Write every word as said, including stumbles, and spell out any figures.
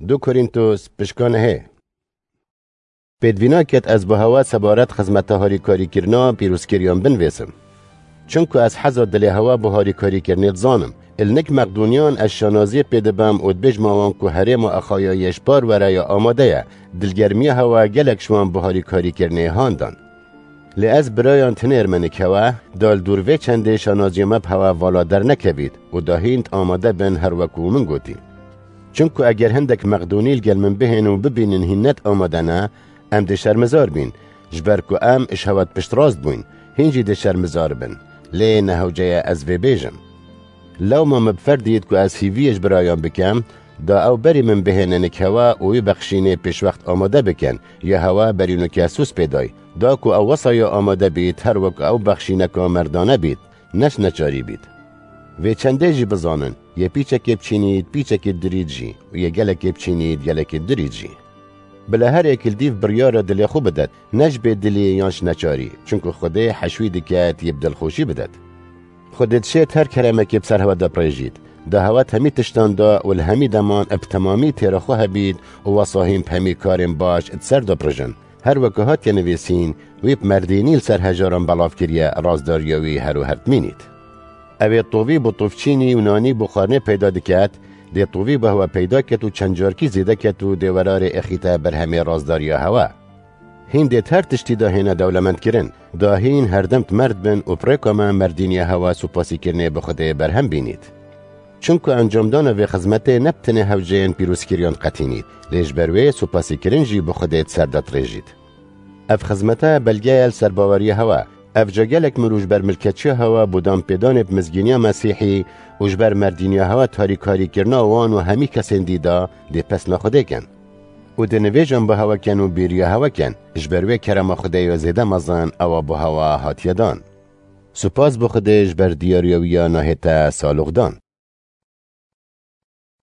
Du Korîntos pişka nehê. Pêdivî naket ez bi hewa sebaret xizmeta harîkarîkirina pîrozkiriyan binivîsim. Çunku ez heza dilê hewa bi harîkarîkirinê dizanim. Li nik Meqdûniyan ez şanaziyê pê dibim û dibêjma wan ku herêma Exayayê ji par were ya amade ye. Dilgermiya hewa gelek ji wan bi harîkarîkirinê han dan. Lê ez birayan tinêr me nik hewa, da li dûr vê çendê şanaziya me bi hewa vala dernekevît û da hîn amade bin her wekû min gotî. Çunku eger hindek Meqdûnî li gel min bihên û bibînin hîn net amade ne, em dê şermizar bîn, ji ber ku em ji hewa piştrast bûyn, hîn jî dê şermizar bin. Lê ne hewce ye ez vê bêjim. Lewma min bi fer dît ku ez hîviyê ji birayan bikim, da ew berî min bihêne nik hewa û wî bexşînê pêşwext amade bikin, ya hewa berî nûke sûs pê day. Da ku ew wesaya amade bît, her wek ew bexşîneka merdane bît, ne ji neçarî bît. Vê çendê jî bizanin, yê pîçekê biçînît, pîçekê dirît jî û yê gelekê biçînît, gelekê dirît jî. Bila her yek li dîv biryara dilê xwe bidet, ne ji bê dilî yan ji neçarî, çunku Xwedê heşwî diket yê bi dilxweşî bidet. Xwedê dişêt her keremekê bi ser hewa de birêjît. Da hewa hemî tiştan da û li hemî deman bi temamî têra xwe hebît û wesa hîn bi hemî karên baş di ser de birijin. Her weke hatiye nivîsîn, wî bi merdînî li ser hejaran belav kiriye, razdariya wî her û her dimînît. Ew ê tovî bo tovçînî û nanî bo xwarinê peyda diket, dê tovî bo hewa peyda ket û çend carkî zêde ket û dê werarê êxîte ber hemê razdariya hewa. Hîn dê her tiştî da hêne dewlemendkirin, da hîn herdem di merd bin û bi rêka me merdîniya hewa supasîkirinê bi Xwedê berhem bînît. Çunku encamdana vê xizmetê ne bi tenê hewceyên pîrozkiriyan diqetînît, lê ji ber wê supasîkirin jî bi Xwedê di ser de dirêjît. Ev xizmete belge ye li ser baweriya hewa. Ev ca gelek mirov ji ber milketçiya hewa bo danpêdanê bi mizgîniya Mesîhî û ji ber merdîniya hewa tarîkarîkirina wan û hemî kesên dî da dê pesna Xwedê ken. Û dê nivêjan bi hewa ken û bêriya hewa ken, ji ber wê kerema Xwedê ya zêde mezin ewa bo hewa hatiye dan. Supas bo Xwedê ji ber diyariya wî ya nahête saloxdan.